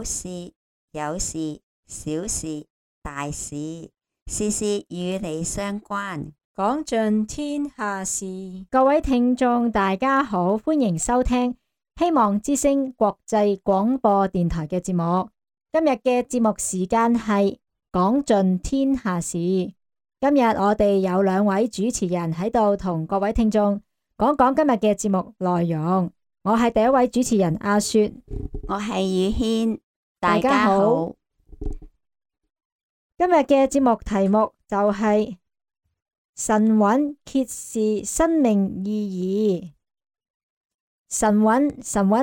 有事有事，小事大事，事事與你相關，講盡天下事。各位聽眾大家好，歡迎收聽希望之聲國際廣播電台嘅節目。今日嘅節目時間係講盡天下事。今日我哋有兩位主持人喺度同各位聽眾講講今日嘅節目內容。我係第一位主持人阿雪，我係宇軒，大家好。今日嘅節目題目就係神韻揭示生命意義。神韻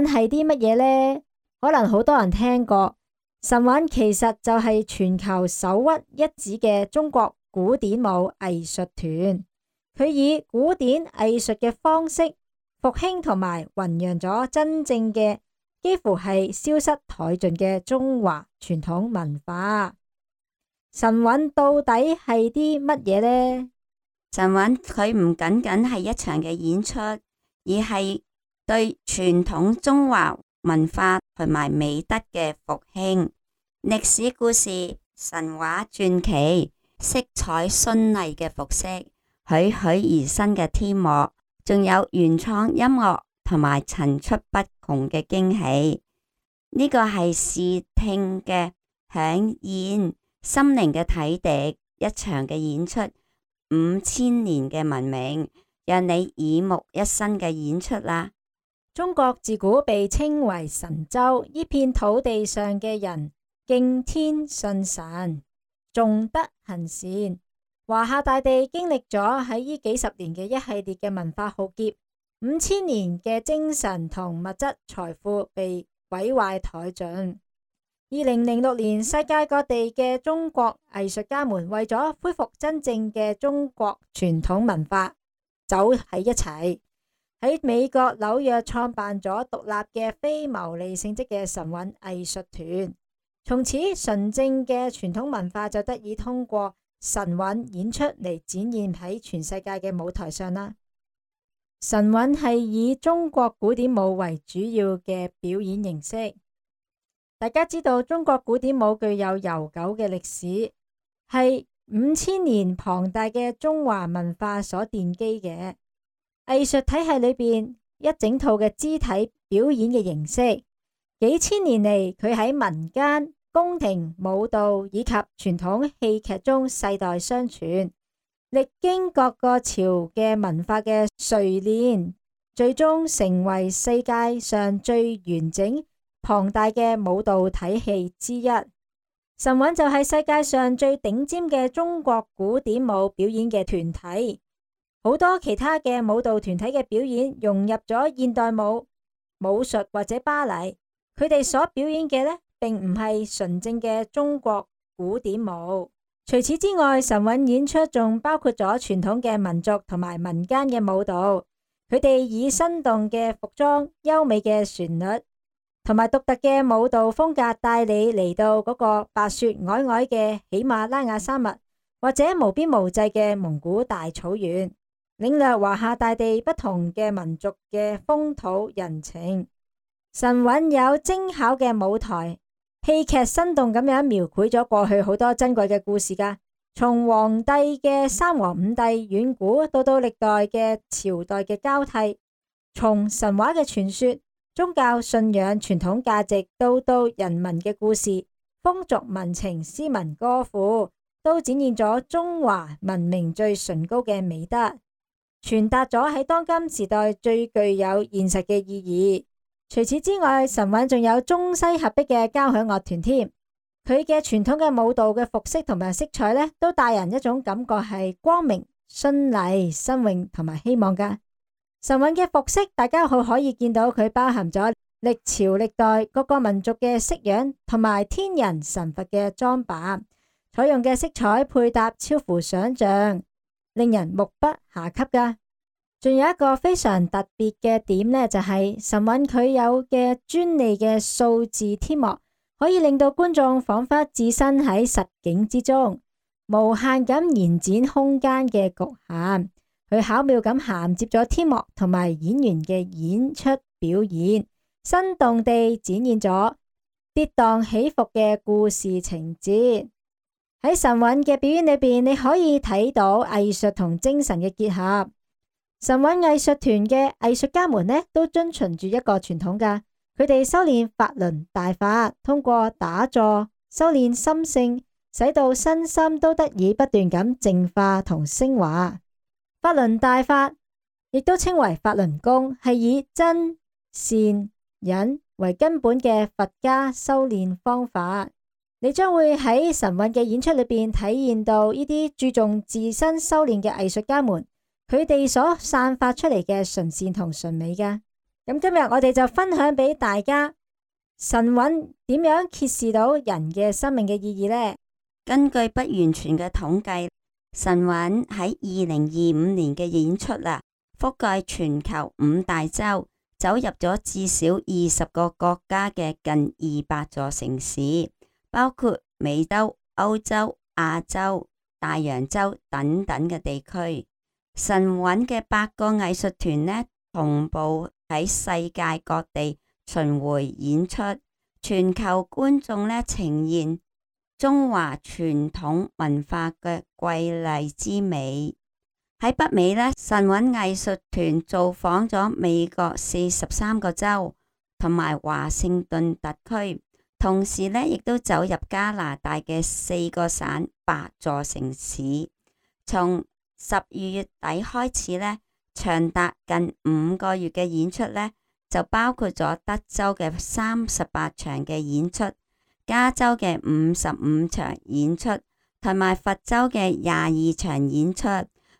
係啲乜嘢呢？可能好多人聽過。神韻其實就係全球首屈一指嘅中國古典舞藝術團，佢以古典藝術嘅方式復興同埋弘揚咗真正嘅幾乎係消失殆盡嘅中華傳統文化。神韻到底係啲乜嘢呢？神韻佢唔僅僅係一場嘅演出，而係對傳統中華文化同埋美德嘅復興。歷史故事、神話傳奇、色彩絢麗嘅服飾、栩栩而生嘅天幕，仲有原創音樂同埋層出不窮嘅驚喜。呢個係視聽嘅饗宴，心靈嘅體滴，一場嘅演出，5000年嘅文明，讓你耳目一新嘅演出啦。中國自古被稱為神州，呢片土地上嘅人敬天信神，重德行善。華夏大地經歷咗喺呢幾十年嘅一系列嘅文化浩劫，5000年嘅精神同物質財富被毀壞殆盡。2006年，世界各地嘅中國藝術家們為咗恢復真正嘅中國傳統文化，走喺一齊，喺美國紐約創辦咗獨立嘅非牟利性質嘅神韻藝術團。從此，純正嘅傳統文化就得以通過神韻演出嚟展現喺全世界嘅舞台上啦。神韻係以中國古典舞為主要嘅表演形式。大家知道中國古典舞具有悠久嘅歷史，係5000年龐大嘅中華文化所奠基嘅藝術體系裏邊一整套嘅肢體表演嘅形式。幾千年嚟，佢喺民間、宮廷、舞蹈以及傳統戲劇中世代相傳，歷經各個朝嘅文化嘅錘煉，最終成為世界上最完整龐大嘅舞蹈體系之一。神韻就係世界上最頂尖嘅中國古典舞表演嘅團體。好多其他嘅舞蹈團體嘅表演融入咗現代舞、武術或者芭蕾，佢哋所表演嘅呢，並唔係純正嘅中國古典舞。除此之外，神韻演出仲包括咗傳統嘅民族同埋民間嘅舞蹈，佢哋以生動嘅服裝、優美嘅旋律同埋獨特嘅舞蹈風格，帶你嚟到嗰個白雪皚皚嘅喜馬拉雅山脈，或者無邊無際嘅蒙古大草原，領略華夏大地不同嘅民族嘅風土人情。神韻有精巧嘅舞台，戲劇生動咁樣描繪咗過去好多珍貴嘅故事噶，從黃帝嘅三皇五帝遠古到歷代嘅朝代嘅交替，從神話嘅傳說、宗教信仰、傳統價值到人民嘅故事、風俗民情、詩文歌賦，都展現咗中華文明最崇高嘅美德，傳達咗喺當今時代最具有現實嘅意義。除此之外，神韻仲有中西合璧嘅交響樂團添，佢嘅傳統嘅舞蹈嘅服飾同埋色彩呢，都帶人一種感覺係光明、絢麗、新穎同埋希望噶。神韻嘅服飾，大家可以見到佢包含咗歷朝歷代各個民族嘅式樣同埋天人神佛嘅裝扮，採用嘅色彩配搭超乎想象，令人目不暇給噶。仲有一個非常特別嘅點呢，就係神韻佢有嘅專利嘅數字天幕，可以令到觀眾仿佛置身喺實景之中，無限咁延展空間嘅局限。佢巧妙咁銜接咗天幕同埋演員嘅演出表演，生動地展現咗跌宕起伏嘅故事情節。喺神韻嘅表演裏邊，你可以睇到藝術同精神嘅結合。神韻藝術團嘅藝術家們呢，都遵循住一個傳統噶，佢哋修煉法輪大法，通過打坐修煉心性，使到身心都得以不斷咁淨化同升華。法輪大法亦都稱為法輪功，係以真善忍為根本嘅佛家修煉方法。你將會喺神韻嘅演出裏邊體驗到呢啲注重自身修煉嘅藝術家們，佢哋所散發出嚟嘅純善同純美噶。咁今日我哋就分享俾大家神韻點樣揭示到人嘅生命嘅意義呢？根據不完全嘅統計，神韻喺2025年嘅演出啦，覆蓋全球5大洲，走入咗至少20個國家嘅近200座城市，包括美洲、歐洲、亞洲、大洋洲等等嘅地區。神韻嘅8個藝術團呢，同步喺世界各地巡迴演出，全球觀眾呢呈現中華傳統文化嘅瑰麗之美。喺北美呢，神韻藝術團造訪咗美國43個州同埋華盛頓特區，同時呢亦都走入加拿大嘅4個省8座城市。從12月底開始呢，長達近5個月嘅演出呢，就包括咗德州嘅38場嘅演出，加州嘅55場演出，同埋佛州嘅22場演出，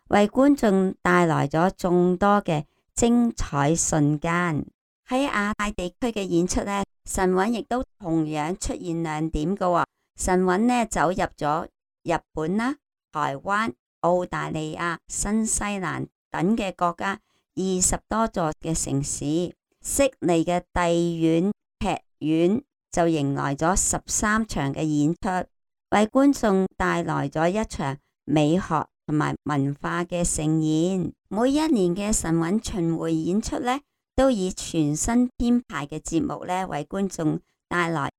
為觀眾帶來咗眾多嘅精彩瞬間。喺亞太地區嘅演出呢，神韻亦都同樣出現亮點嘅喎。神韻呢走入咗日本啦、台灣、澳大利亞、新西蘭等嘅國家20多座嘅城市。悉尼嘅帝苑劇院就迎來咗13場嘅演出，為觀眾帶來咗一場美學同埋文化嘅盛宴。每一年嘅神韻巡迴演出呢，都以全新編排嘅節目呢，為觀眾帶來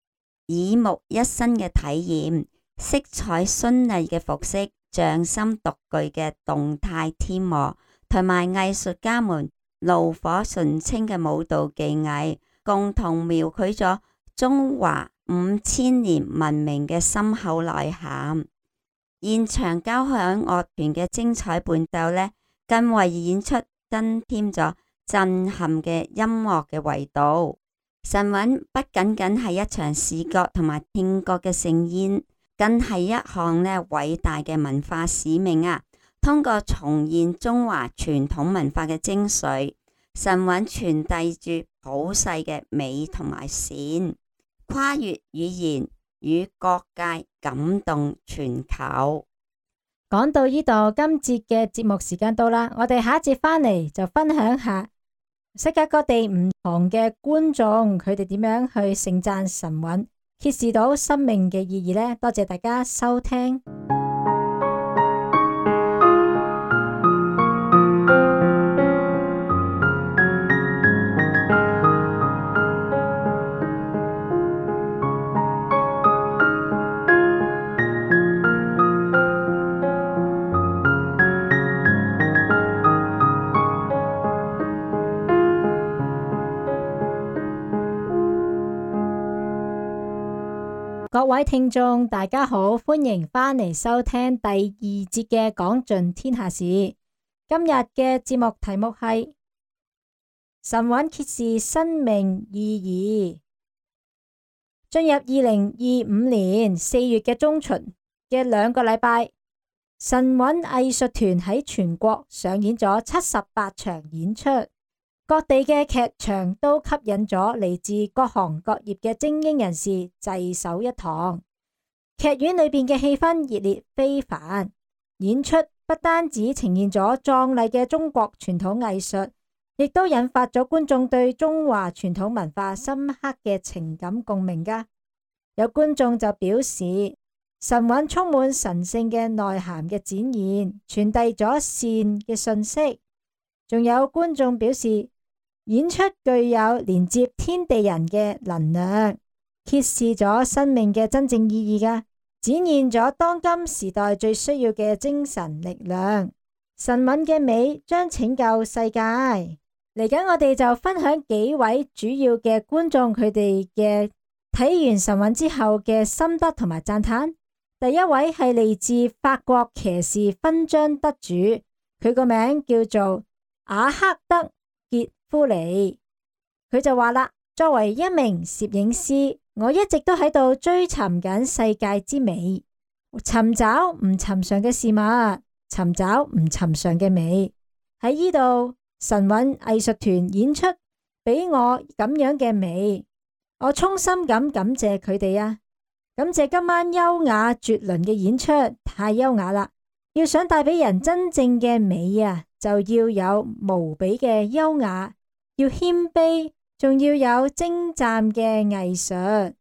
耳目一新嘅體驗。色彩絢麗嘅服飾、匠心獨具嘅動態天幕，同埋藝術家們爐火純青嘅舞蹈技藝，共同描繪咗中華5000年文明嘅深厚內涵。現場交響樂團嘅精彩伴奏呢，更為演出增添咗震撼嘅音樂嘅維度。神韻不僅僅係一場視覺同埋聽覺嘅盛宴，更係一項呢偉大嘅文化使命啊！通過重現中華傳統文化嘅精髓，神韻傳遞住普世嘅美同埋善，跨越語言與各界，感動全球。講到呢度，今節嘅節目時間到啦，我哋下一節返嚟就分享下世界各地唔同嘅觀眾，佢哋點樣去盛讚神韻，揭示到生命嘅意義呢？多謝大家收聽。各位聽眾，大家好，歡迎返嚟收聽第2節嘅講盡天下事。今日嘅節目題目係神韻揭示生命意義。進入2025年4月嘅中旬嘅2個禮拜，神韻藝術團喺全國上演咗78場演出。各地嘅劇場都吸引咗嚟自各行各業嘅精英人士聚首一堂，劇院裏邊嘅氣氛熱烈非凡。演出不單止呈現咗壯麗嘅中國傳統藝術，亦都引發咗觀眾對中華傳統文化深刻嘅情感共鳴噶。有觀眾就表示，神韻充滿神聖嘅內涵嘅展現，傳遞咗善嘅信息。仲有觀眾表示，演出具有連接天地人嘅能量，揭示咗生命嘅真正意義噶，展現咗當今時代最需要嘅精神力量。神韻嘅美將拯救世界。嚟緊我哋就分享幾位主要嘅觀眾佢哋嘅睇完神韻之後嘅心得同埋讚嘆。第一位係嚟自法國騎士勳章得主，佢個名叫做阿克德傑夫尼。佢就話啦，作為一名攝影師，我一直都喺度追尋緊世界之美，尋找唔尋常嘅事物，尋找唔尋常嘅美。喺呢度，神韻藝術團演出俾我咁樣嘅美，我衷心咁感謝佢哋啊！感謝今晚優雅絕倫嘅演出，太優雅啦！要想帶俾人真正嘅美啊，就要有無比嘅優雅，要謙卑，仲要有精湛嘅藝術，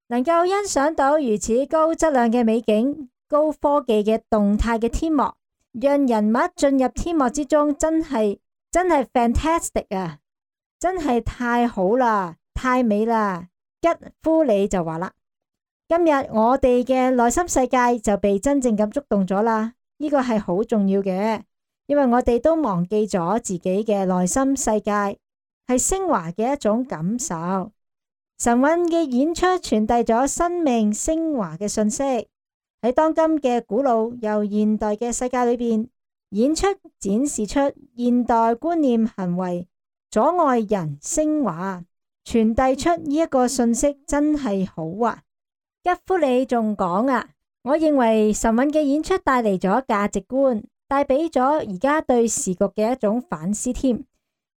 能夠欣賞到如此高質量嘅美景、高科技嘅動態嘅天幕，讓人物進入天幕之中，真係 fantastic 啊！真係太好啦，太美啦！吉夫里就話啦，今日我哋嘅內心世界就被真正咁觸動咗啦，呢個係好重要嘅，因為我哋都忘記咗自己嘅內心世界係升華嘅一種感受。神韻嘅演出傳遞咗生命升華嘅信息，喺當今嘅古老又現代嘅世界裏邊，演出展示出現代觀念行為阻礙人升華，傳遞出呢一個信息真係好啊！吉夫里仲講啊，我認為神韻嘅演出帶嚟咗價值觀，帶俾咗而家對時局嘅一種反思添，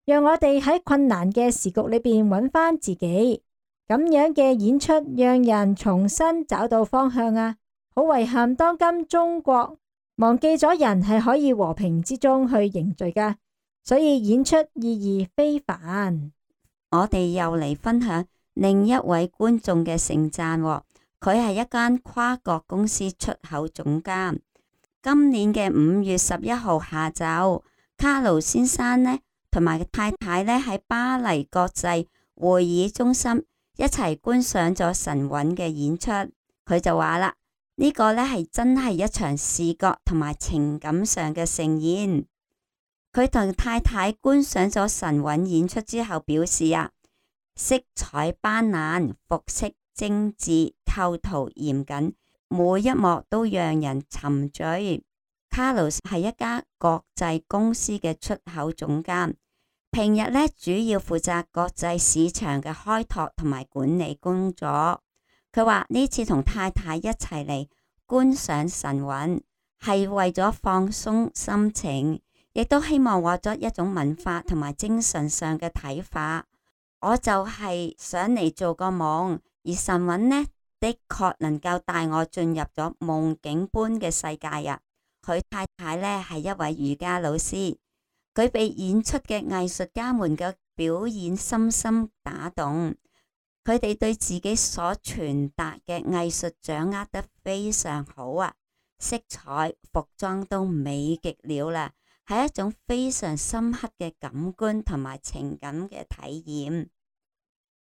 讓我哋喺困難嘅時局裏邊揾翻自己。咁樣嘅演出讓人重新找到方向啊！好遺憾當今中國忘記咗人係可以和平之中去凝聚噶，所以演出意義非凡。我哋又嚟分享另一位觀眾嘅盛讚喎。佢係一間跨國公司出口總監。今年嘅5月11號下晝，卡魯先生呢同埋太太呢喺巴黎國際會議中心一齊觀賞咗神韻嘅演出。佢就話啦，呢個呢係真係一場視覺同埋情感上嘅盛宴。佢同太太觀賞咗神韻演出之後表示啊，色彩斑斕，服飾精緻，構圖嚴謹，每一幕都讓人沉醉。卡魯係一家國際公司嘅出口總監，平日呢主要負責國際市場嘅開拓同埋管理工作。佢話呢次同太太一齊嚟觀賞神韻，係為咗放鬆心情，亦都希望獲得一種文化同埋精神上嘅睇法。我就係想嚟做個夢，而神韻呢的確能夠帶我進入咗夢境般嘅世界啊！佢太太呢係一位瑜伽老師，佢被演出嘅藝術家們嘅表演深深打動，佢哋對自己所傳達嘅藝術掌握得非常好啊！色彩、服裝都美極了啦，係一種非常深刻嘅感官同埋情感嘅體驗。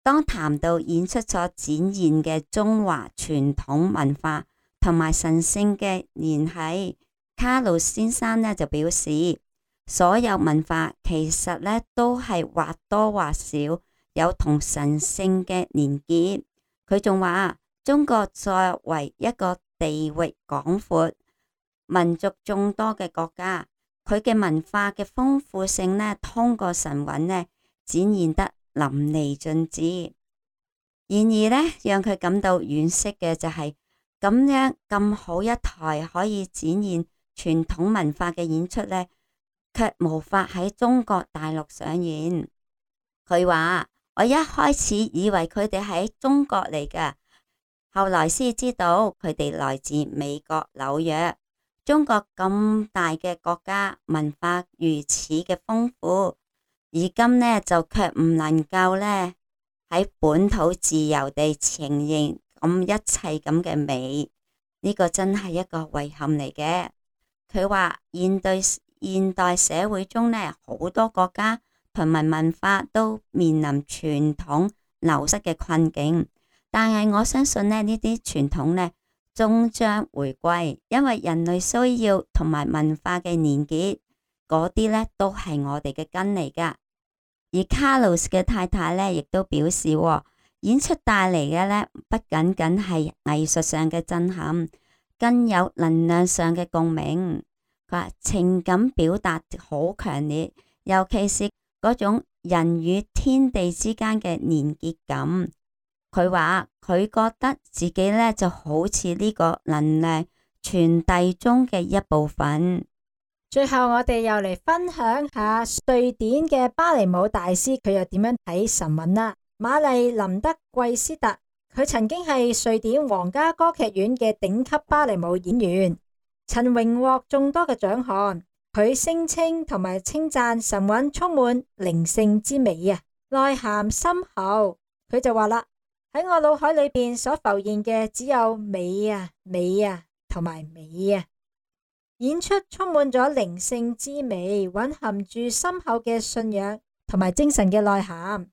當談到演出所展現嘅中華傳統文化同埋神聖嘅聯繫，卡魯先生呢就表示，所有文化其實呢都係或多或少有同神聖嘅連結。佢仲話，中國作為一個地域廣闊、民族眾多嘅國家，佢嘅文化嘅豐富性呢，通過神韻呢展現得淋漓盡致。然而呢，讓佢感到惋惜嘅就係咁樣咁好一台可以展現傳統文化嘅演出呢，卻無法喺中國大陸上演。佢話，我一開始以為佢哋喺中國嚟㗎，後來先知道佢哋來自美國紐約。中國咁大嘅國家，文化如此嘅豐富，而今呢就卻唔能夠呢喺本土自由地呈現咁一切咁嘅美，呢個真係一個遺憾嚟嘅。佢話現代社會中呢，好多國家同埋文化都面臨傳統流失嘅困境，但係我相信呢啲傳統呢終將回歸，因為人類需要同埋文化嘅連結，嗰啲呢都係我哋嘅根嚟噶。而卡洛斯嘅太太呢亦都表示，演出帶嚟嘅呢不僅僅係藝術上嘅震撼，更有能量上嘅共鳴。佢話情感表達好強烈，尤其是嗰種人與天地之間嘅連結感。佢話佢覺得自己呢就好似呢個能量傳遞中嘅一部分。最後我哋又嚟分享下瑞典嘅芭蕾舞大師，佢又點樣睇神韻啦。瑪麗琳德貴斯特，佢曾經係瑞典皇家歌劇院嘅頂級芭蕾舞演員，曾榮獲眾多嘅獎項。佢聲稱同埋稱讚神韻充滿靈性之美啊，內涵深厚。佢就話啦，喺我腦海裏邊所浮現嘅只有美啊、美啊同埋美啊。演出充滿咗靈性之美，蘊含住深厚嘅信仰同埋精神嘅內涵，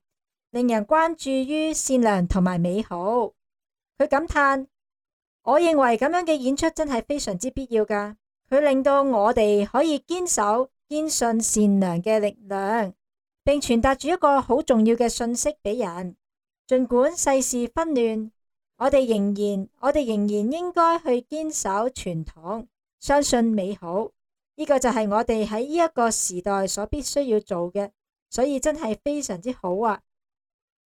令人關注於善良同埋美好。佢感嘆，我認為咁樣嘅演出真係非常之必要噶，佢令到我哋可以堅守堅信善良嘅力量，並傳達住一個好重要嘅信息俾人。盡管世事紛亂，我哋仍然應該去堅守傳統，相信美好，呢個就係我哋喺呢一個時代所必須要做嘅，所以真係非常之好啊！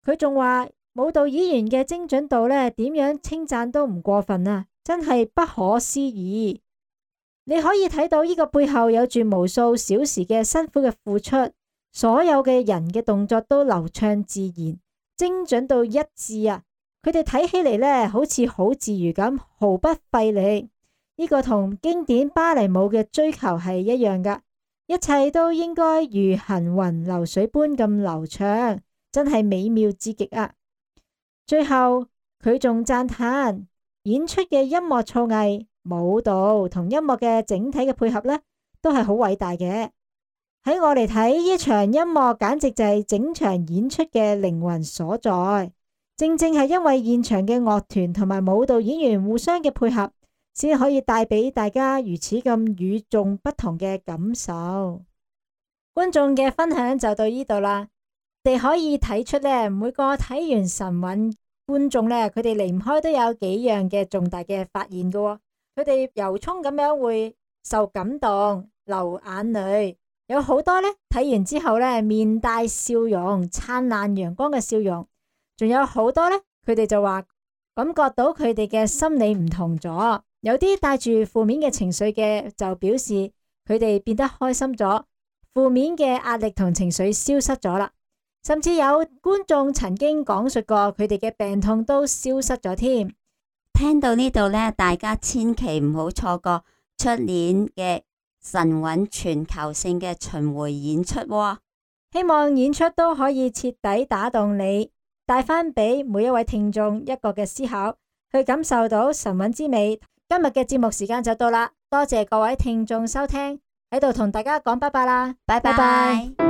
佢仲話舞蹈演員嘅精準度呢，點樣稱讚都唔過分啊！真係不可思議。你可以睇到呢個背後有住無數小時嘅辛苦嘅付出，所有嘅人嘅動作都流暢自然，精準到一致啊！佢哋睇起嚟呢，好似好自如咁，毫不費力。呢個同經典芭蕾舞嘅追求係一樣噶，一切都應該如行雲流水般咁流暢，真係美妙至極啊！最後佢仲讚嘆演出嘅音樂造詣、舞蹈同音樂嘅整體嘅配合呢，都係好偉大嘅。喺我嚟睇，呢場音樂簡直就係整場演出嘅靈魂所在。正正係因為現場嘅樂團同埋舞蹈演員互相嘅配合，先可以帶俾大家如此咁與眾不同嘅感受。觀眾嘅分享就到呢度啦。你可以睇出呢，每個睇完神韻觀眾呢，佢哋離唔開都有幾樣嘅重大嘅發現㗎。佢哋由衷咁樣會受感動，流眼淚。有好多呢，睇完之後呢，面帶笑容，燦爛陽光嘅笑容。仲有好多呢，佢哋就話感覺到佢哋嘅心理唔同咗。有啲帶住負面嘅情緒嘅，就表示佢哋變得開心咗，負面嘅壓力同情緒消失咗啦。甚至有觀眾曾經講述過，佢哋嘅病痛都消失咗添。聽到呢度呢，大家千祈唔好錯過出年嘅神韻全球性嘅巡迴演出喎。希望演出都可以徹底打動你，帶返俾每一位聽眾一個嘅思考，去感受到神韻之美。今日嘅節目時間就到啦，多謝各位聽眾收聽，喺度同大家講拜拜啦，拜拜。